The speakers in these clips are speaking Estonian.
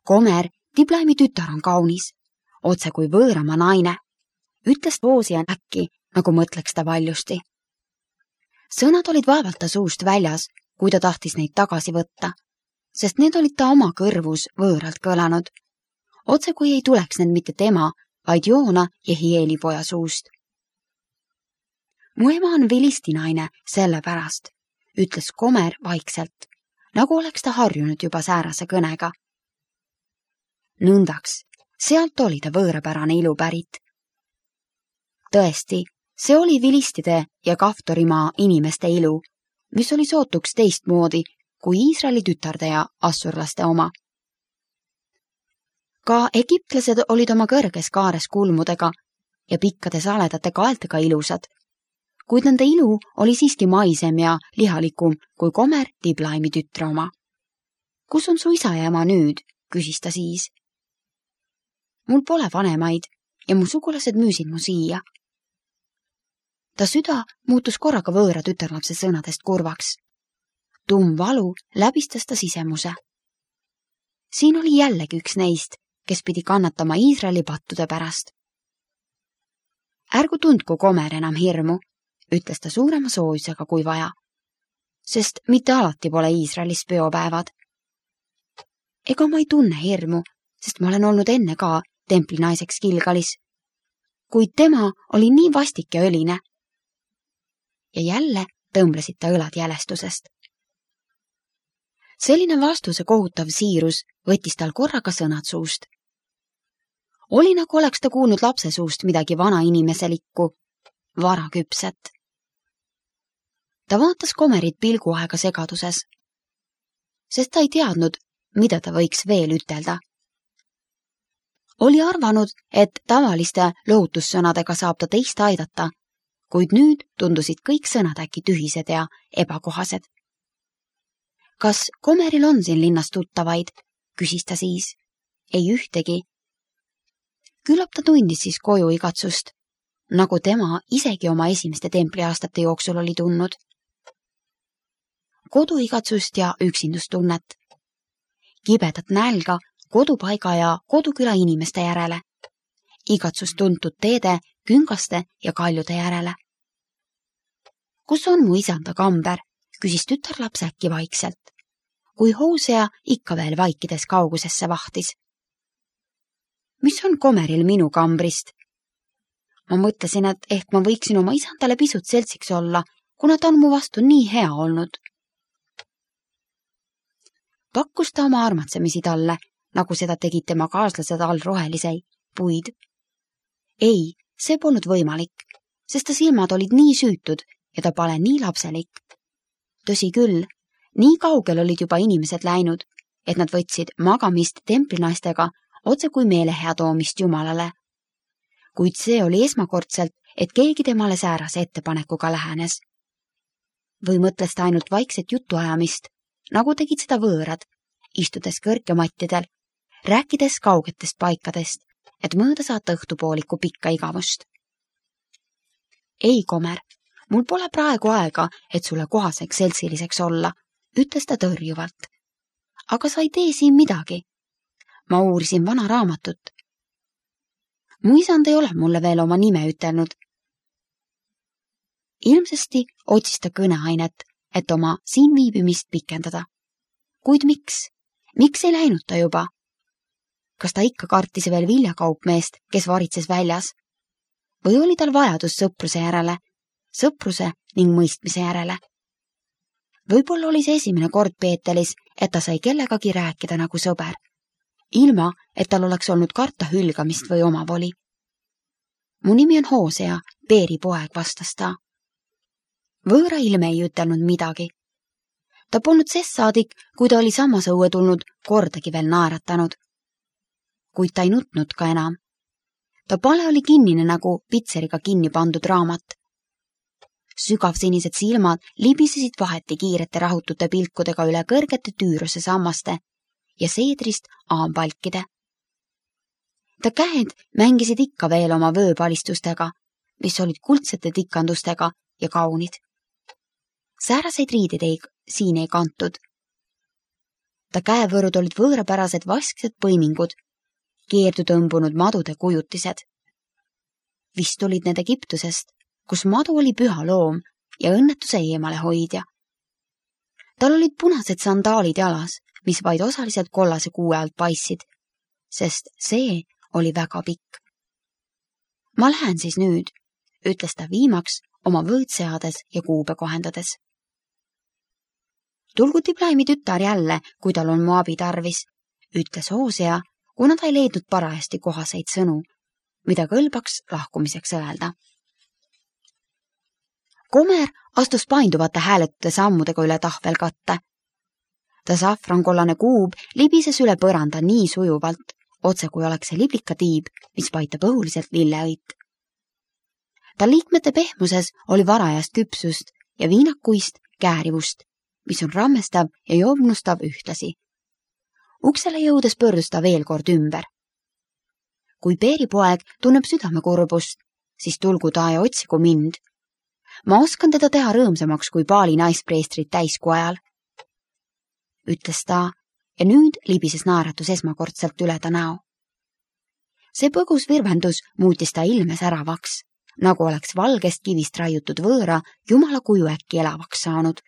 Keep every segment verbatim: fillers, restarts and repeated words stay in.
Komer, Diblaimi tütar on kaunis, otse kui võõrama naine, ütles Hoosian äkki, nagu mõtleks ta valjusti. Sõnad olid vaevalt ta suust väljas, kui ta tahtis neid tagasi võtta, sest need olid ta oma kõrvus võõralt kõlanud. Otse kui ei tuleks need mitte tema, vaid Joona ja Hieli poja suust. Mu ema on vilistinaine sellepärast, ütles Komer vaikselt, nagu oleks ta harjunud juba säärase kõnega. Nõndaks, sealt oli ta võõrapärane ilu pärit. Tõesti, see oli vilistide ja Kaftorimaa inimeste ilu, mis oli sootuks teistmoodi kui Iisraeli tütarde ja assurlaste oma. Ka egiptlased olid oma kõrges kaares kulmudega ja pikkade saledate kaeltega ilusad, kuid nende ilu oli siiski maisem ja lihalikum kui Komer Diblaimi tütre oma. Kus on su isa ja ema nüüd, küsis ta siis. Mul pole vanemaid ja mu sugulased müüsid mu siia. Ta süda muutus korraga võõra tütarlapse sõnadest kurvaks. Tumm valu läbistas ta sisemuse. Siin oli jällegi üks neist, kes pidi kannatama Iisraeli pattude pärast. Ärgu tundku Komer enam hirmu, ütles ta suurema soojusega kui vaja, sest mitte alati pole Iisraelis peopäevad. Ega ma ei tunne hirmu, sest ma olen olnud enne ka templinaiseks Gilgalis, kuid tema oli nii vastik ja õline. Ja jälle tõmblesid ta õlad jälestusest. Selline vastuse kohutav siirus võttis tal korraga sõnad suust. Oli nagu oleks ta kuulnud lapse suust midagi vana inimeselikku, varaküpset. Ta vaatas Komerit pilguaega segaduses, sest ta ei teadnud, mida ta võiks veel ütelda. Oli arvanud, et tavaliste lohutussõnadega saab ta teist aidata, kuid nüüd tundusid kõik sõnad äkki tühised ja ebakohased. Kas Komeril on siin linnas tuttavaid, küsis ta siis. Ei ühtegi. Küllap ta tundis siis koju igatsust, nagu tema isegi oma esimeste templiaastate jooksul oli tundnud. Kodu igatsust ja üksindustunnet. Kibedat nälga kodupaiga ja koduküla inimeste järele. Igatsust tuntud teede, küngaste ja kaljude järele. Kus on mu isanda kamber, küsis tütarlaps äkki vaikselt, kui Hoosea ikka veel vaikides kaugusesse vahtis. Mis on Komeril minu kambrist? Ma mõtlesin, et ehk ma võiksin oma isandale pisut seltsiks olla, kuna ta on mu vastu nii hea olnud. Pakkus ta oma armatsemisi talle, nagu seda tegid tema kaaslased all rohelisei, puid. Ei, see polnud võimalik, sest ta silmad olid nii süütud ja ta pole nii lapselik. Tõsi küll, nii kaugel olid juba inimesed läinud, et nad võtsid magamist templinaistega otse kui meelehea toomist Jumalale. Kuid see oli esmakordselt, et keegi temale säärase ettepanekuga lähenes. Või mõtles ta ainult vaikset jutuajamist, nagu tegid seda võõrad, istudes kõrgemattidel, rääkides kaugetest paikadest, et mööda saata õhtupooliku pikka igavust. Ei, Komer, mul pole praegu aega, et sulle kohaseks seltsiliseks olla, ütles ta tõrjuvalt. Aga sa ei tee siin midagi. Ma uurisin vana raamatut. Mu isand ei ole mulle veel oma nime ütelnud. Ilmsesti otsis ta kõneainet, et oma siin viibimist pikendada. Kuid miks? Miks ei läinud ta juba? Kas ta ikka kartis veel viljakaupmeest, kes varitses väljas? Või oli tal vajadus sõpruse järele, sõpruse ning mõistmise järele? Võib-olla oli see esimene kord Peetelis, et ta sai kellegagi rääkida nagu sõber, ilma, et tal oleks olnud karta hülgamist või omavoli. Mu nimi on Hoosea, Peeri poeg, vastas ta. Võõra ilme ei ütelnud midagi. Ta polnud sest saadik, kui ta oli samas õue tulnud, kordagi veel naeratanud. Kuid ta ei nutnud ka enam. Ta pale oli kinnine nagu pitseriga kinni pandud raamat. Sügavsinised silmad libisesid vaheti kiirete rahutute pilkudega üle kõrgete tüüruse sammaste ja seedrist aambалkide. Ta käed mängisid ikka veel oma vööpalistustega, mis olid kuldsete tikandustega ja kaunid. Sääraseid riidid ei, siin ei kantud. Ta käevõrud olid võõrapärased vasksed põimingud, keerdu tõmbunud madude kujutised. Vist olid need Egiptusest, kus madu oli püha loom ja õnnetuse eemale hoidja. Tal olid punased sandaalid jalas, mis vaid osaliselt kollase kuue alt paissid, sest see oli väga pikk. Ma lähen siis nüüd, ütles ta viimaks oma võõd seades ja kuube kohendades. Tulgu Diblaimi tütar jälle, kui tal on mu abi tarvis, ütles Hoosea, kuna ta ei leidnud parajasti kohaseid sõnu, mida kõlbaks lahkumiseks öelda. Komer astus painduvate hääletute sammudega üle tahvelkatte. Ta safrankollane kuub libises üle põranda nii sujuvalt, otse kui oleks see liblikatiib, mis paitab õhuliselt lilleõit. Ta liikmete pehmuses oli varajast küpsust ja viinakuist käärivust, mis on rammestav ja joomnustav ühtlasi. Uksele jõudes pöördus ta veel kord ümber. Kui Peeripoeg tunneb südamekurbust, siis tulgu ta ja otsigu mind. Ma oskan teda teha rõõmsamaks kui paali naispreestrit täiskuu ajal, ütles ta ja nüüd libises naeratus esmakordselt üle ta näo. See põgus virvendus muutis ta ilme säravaks, nagu oleks valgest kivist raiutud võõra jumala kuju äkki elavaks saanud.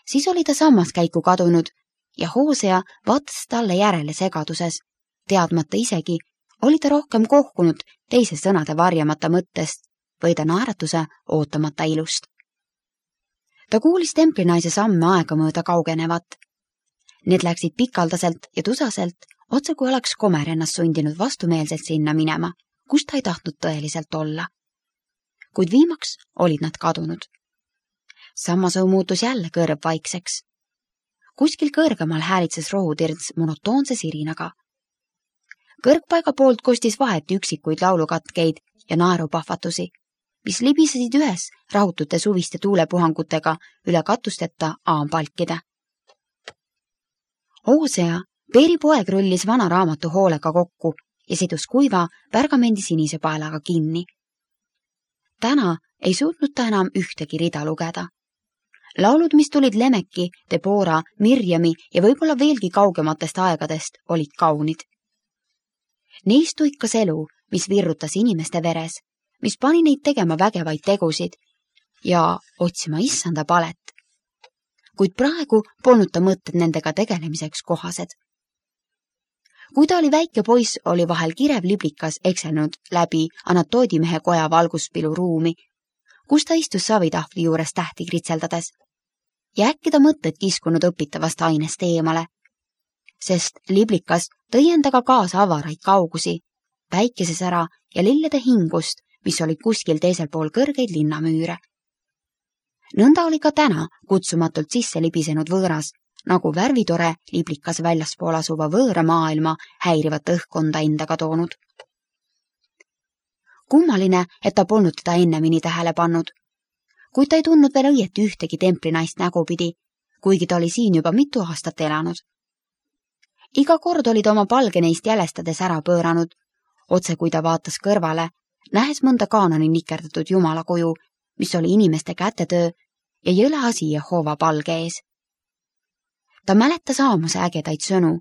Siis oli ta sammaskäiku kadunud ja Hoosea vaatas talle järele segaduses, teadmata isegi, oli ta rohkem kohkunud teise sõnade varjamata mõttest või ta naeratuse ootamata ilust. Ta kuulis templinaise samme aega mööda kaugenevat. Need läksid pikaldaselt ja tusaselt, otse kui oleks Komer ennast sundinud vastumeelselt sinna minema, kus ta ei tahtnud tõeliselt olla. Kuid viimaks olid nad kadunud. Sammasõu muutus jälle kõrv vaikseks. Kuskil kõrgemal häälitses rohutirts monotoonse sirinaga. Kõrgpaiga poolt kostis vaheti üksikuid laulukatkeid ja naerupahvatusi, mis libisesid ühes rahutute suviste tuulepuhangutega üle katusteta aampalkide. Hoosea, Peeripoeg rullis vana raamatu hoolega kokku ja sidus kuiva pärgamendi sinise paelaga kinni. Täna ei suutnud ta enam ühtegi rida lugeda. Laulud, mis tulid Lemeki, Debora, Mirjami ja võib-olla veelgi kaugematest aegadest, olid kaunid. Neist tuikas elu, mis virrutas inimeste veres, mis pani neid tegema vägevaid tegusid ja otsima issanda palet. Kuid praegu polnud ta mõtted nendega tegelemiseks kohased. Kui ta oli väike poiss, oli vahel kirev liblikas ekselnud läbi Anatoodimehe koja valguspilu ruumi, kus ta istus savitahvli juures tähti kritseldades. Ja äkki ta mõtted kiskunud õpitavast ainest eemale, sest liblikas tõi endaga kaasa avaraid kaugusi, päikesesära ja lillede hingust, mis olid kuskil teisel pool kõrgeid linnamüüre. Nõnda oli ka täna kutsumatult sisse libisenud võõras, nagu värvitore liblikas väljaspool asuva võõra maailma häirivat õhkkonda endaga toonud. Kummaline, et ta polnud teda ennemini tähele pannud, kuid ta ei tundnud veel õieti ühtegi templinaist nägupidi, kuigi ta oli siin juba mitu aastat elanud. Iga kord oli ta oma palge neist jälestades ära pööranud, otse kui ta vaatas kõrvale, nähes mõnda kaanoni nikerdatud jumala kuju, mis oli inimeste kätetöö ja jõle asi Jehova palge ees. Ta mäletas Aamose ägedaid sõnu,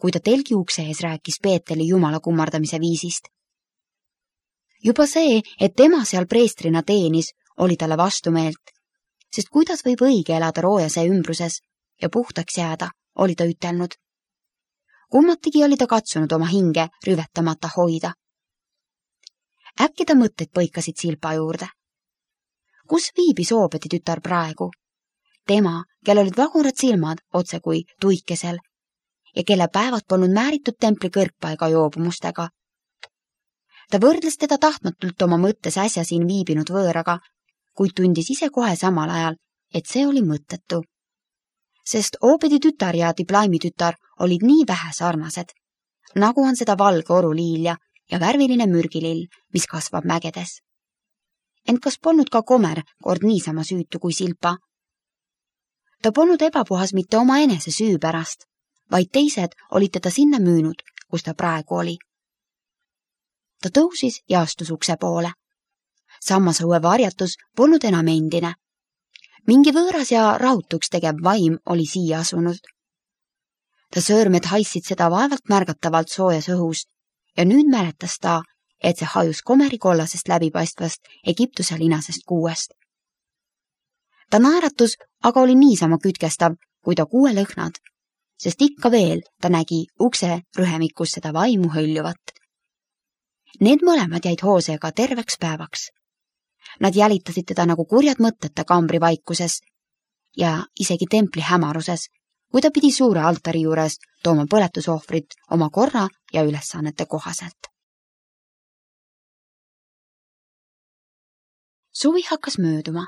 kui ta telgi ukse ees rääkis Peeteli jumala kummardamise viisist. Juba see, et tema seal preestrina teenis, oli talle vastumeelt, sest kuidas võib õige elada roojase ümbruses ja puhtaks jääda, oli ta ütelnud. Kummatigi oli ta katsunud oma hinge rüvetamata hoida. Äkki ta mõtted põikasid Silpa juurde. Kus viibis Oobedi tütar praegu? Tema, kel olid vagurad silmad otse kui tuikesel ja kelle päevad polnud määritud templi kõrgpaiga joobumustega. Ta võrdles teda tahtmatult oma mõttes äsja siin viibinud võõraga, kuid tundis ise kohe samal ajal, et see oli mõttetu. Sest Oobedi tütar ja Diblaimi tütar olid nii vähe sarnased, nagu on seda valge oruliilja ja värviline mürgilill, mis kasvab mägedes. Ent kas polnud ka Komer kord niisama süütu kui Silpa? Ta polnud ebapuhas mitte oma enese süü pärast, vaid teised olid teda sinna müünud, kus ta praegu oli. Ta tõusis ja astus ukse poole. Sammasõue varjatus polnud enam endine. Mingi võõras ja rahutuks tegev vaim oli siia asunud. Ta sõõrmed haissid seda vaevalt märgatavalt soojas õhus ja nüüd mäletas ta, et see hajus komeri kollasest läbipaistvast Egiptuse linasest kuuest. Ta naeratus aga oli niisama kütkestav, kui ta kuue lõhnad, sest ikka veel ta nägi ukse rühemikus seda vaimu hõljuvat. Need mõlemad jäid Hooseaga terveks päevaks. Nad jälitasid teda nagu kurjad mõtete kambri vaikuses ja isegi templi hämaruses, kui ta pidi suure altari juures tooma põletusohvrit oma korra ja ülesannete kohaselt. Suvi hakkas mööduma.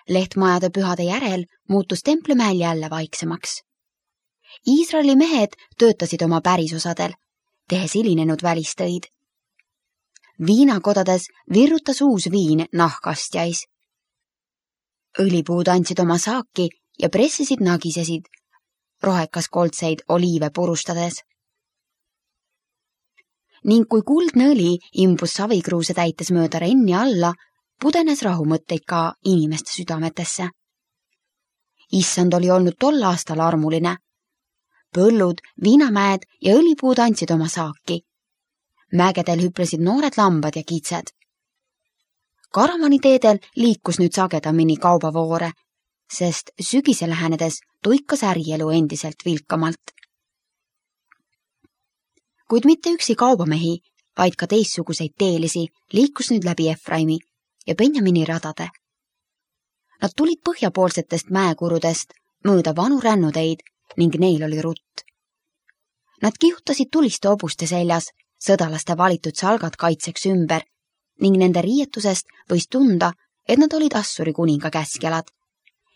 Lehtmajade pühade järel muutus Templimäel jälle vaiksemaks. Iisraeli mehed töötasid oma pärisosadel, tehes hilinenud välistöid. Viinakodades virrutas uus viin nahkastjais. Õlipuud andsid oma saaki ja pressisid nagisesid rohekas koldseid oliive purustades. Ning kui kuldne õli imbus savikruuse täites mööda renni alla, pudenes rahumõtteid ka inimeste südametesse. Issand oli olnud tol aastal armuline. Põllud, viinamäed ja õlipuud andsid oma saaki. Mägedel hüplesid noored lambad ja kitsed. Karavaniteedel liikus nüüd sagedamini kaubavoore, sest sügise lähenedes tuikas ärielu endiselt vilkamalt. Kuid mitte üksi kaubamehi, vaid ka teistsuguseid teelisi liikus nüüd läbi Efraimi ja Benjamini radade. Nad tulid põhjapoolsetest mäekurudest mööda vanu rännuteid ning neil oli rutt. Nad kihutasid tuliste obuste seljas, sõdalaste valitud salgad kaitseks ümber ning nende riietusest võis tunda, et nad olid Assuri kuninga käskjalad,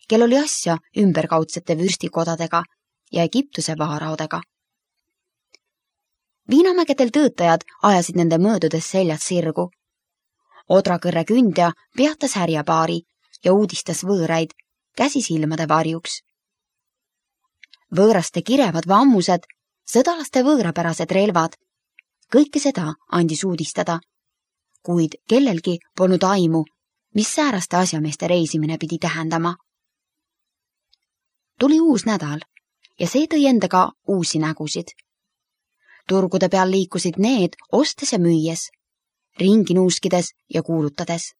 kel oli asja ümberkaudsete vürstikodadega ja Egiptuse vaaraodega. Viinamägedel töötajad ajasid nende möödudes seljad sirgu. Odrakõrre kündja peatas härjapaari ja uudistas võõraid käsi silmade varjuks. Võõraste kirevad vammused, sõdalaste võõrapärased relvad, kõike seda andis uudistada, kuid kellelgi polnud aimu, mis sääraste asjameeste reisimine pidi tähendama. Tuli uus nädal ja see tõi endaga uusi nägusid. Turgude peal liikusid need ostes ja müües, ringi nuuskides ja kuulutades.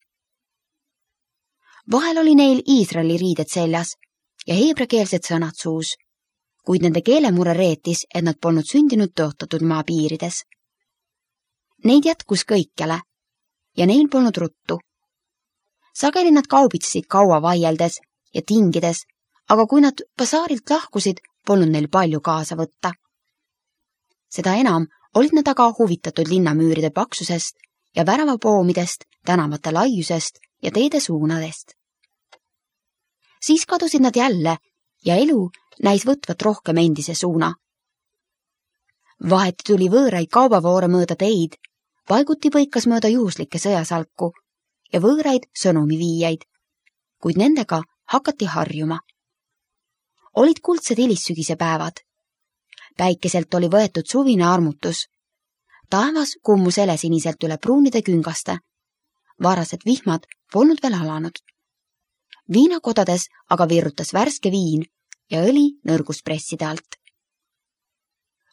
Vahel oli neil Iisraeli riided seljas ja heebrekeelsed sõnad suus, kuid nende keelemure reetis, et nad polnud sündinud tõotatud maa piirides. Neid jätkus kõikjale ja neil polnud ruttu. Sageli nad kaubitsesid kaua vaieldes ja tingides, aga kui nad basaarilt lahkusid, polnud neil palju kaasa võtta. Seda enam olid nad aga huvitatud linnamüüride paksusest ja väravapoomidest, tänavate laiusest ja teede suunadest. Siis kadusid nad jälle ja elu näis võtvat rohkem endise suuna. Vaheti tuli võõraid kaubavoore mööda teid, paiguti põikas mööda juhuslikke sõjasalku ja võõraid sõnumiviijaid, kuid nendega hakati harjuma. Olid kuldsed hilissügise päevad. Päikeselt oli võetud suvine armutus. Taevas kummus helesiniselt üle pruunide küngaste. Varased vihmad polnud veel alanud. Viinakodades aga virrutas värske viin ja õli nõrgus presside alt.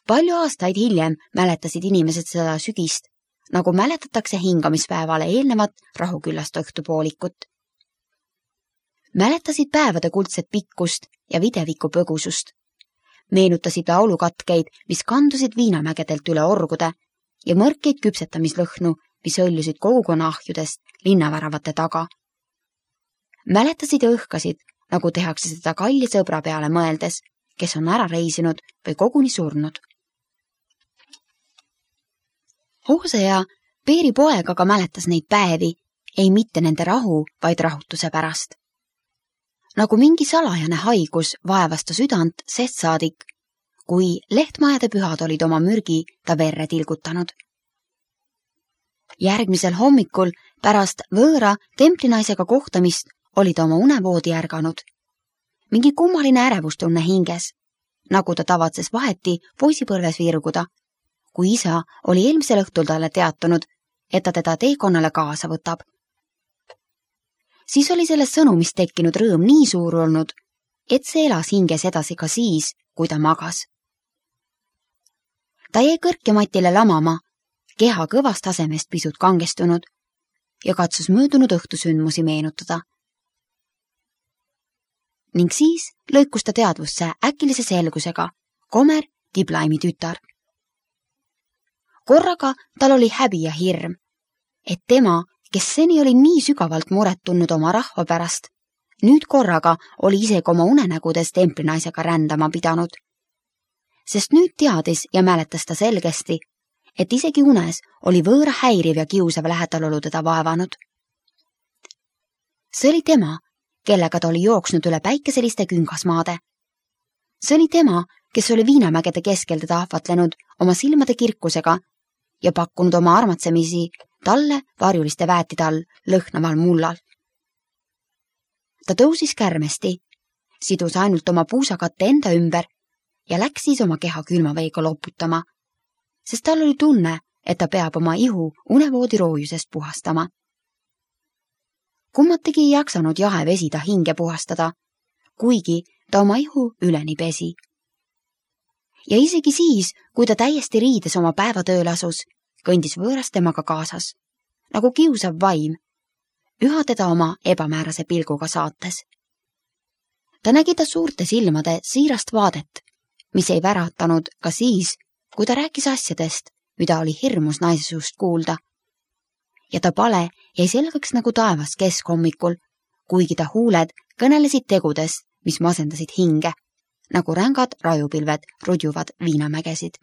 Palju aastaid hiljem mäletasid inimesed seda sügist, nagu mäletatakse hingamispäevale eelnevat rahuküllast õhtupoolikut. Mäletasid päevade kuldset pikkust ja videviku põgusust. Meenutasid laulukatkeid, mis kandusid viinamägedelt üle orgude ja mõrkeid küpsetamislõhnu, mis hõljusid kogukonna ahjudest linnaväravate taga. Mäletasid ja õhkasid, nagu tehakse seda kalli sõbra peale mõeldes, kes on ära reisinud või koguni surnud. Hoosea, Peeri poeg aga mäletas neid päevi, ei mitte nende rahu, vaid rahutuse pärast. Nagu mingi salajane haigus vaevas ta südant sest saadik, kui lehtmajade pühad olid oma mürgi ta verre tilgutanud. Järgmisel hommikul pärast võõra templinaisega kohtamist oli ta oma unevoodi ärganud. Mingi kummaline ärevustunne hinges, nagu ta tavatses vaheti poisipõlves virguda, kui isa oli eelmisel õhtul talle teatanud, et ta teda teekonnale kaasa võtab. Siis oli sellest sõnumist tekkinud rõõm nii suur olnud, et see elas hinges edasi ka siis, kui ta magas. Ta jäi kõrkjamatile lamama, keha kõvast tasemest pisut kangestunud ja katsus möödunud õhtusündmusi meenutada. Ning siis lõikus ta teadvusse äkilise selgusega Komer Diblaimi tütar. Korraga tal oli häbi ja hirm, et tema, kes seni oli nii sügavalt muret tundnud oma rahva pärast, nüüd korraga oli isegi oma unenägudes templinaisega rändama pidanud. Sest nüüd teadis ja mäletas ta selgesti, et isegi unes oli võõra häiriv ja kiusav lähedalolu teda vaevanud. See oli tema, kellega ta oli jooksnud üle päikeseliste küngasmaade. See oli tema, kes oli viinamägede keskel teda ahvatlenud oma silmade kirkusega ja pakkunud oma armatsemisi talle varjuliste väetide all lõhnaval mullal. Ta tõusis kärmesti, sidus ainult oma puusakatte enda ümber ja läks siis oma keha külmaveega loputama, sest tal oli tunne, et ta peab oma ihu unevoodi roojusest puhastama. Kummategi ei jaksanud jahe vesi ta hinge puhastada, kuigi ta oma ihu üleni pesi. Ja isegi siis, kui ta täiesti riides oma päevatööl asus, kõndis võõras temaga kaasas, nagu kiusav vaim, üha teda oma ebamäärase pilguga saates. Ta nägi ta suurte silmade siirast vaadet, mis ei väratanud ka siis, kui ta rääkis asjadest, mida oli hirmus naise suust kuulda. Ja ta pale jäi selgeks nagu taevas keskhommikul, kuigi ta huuled kõnelesid tegudest, mis masendasid hinge, nagu rängad rajupilved rudjuvad viinamägesid.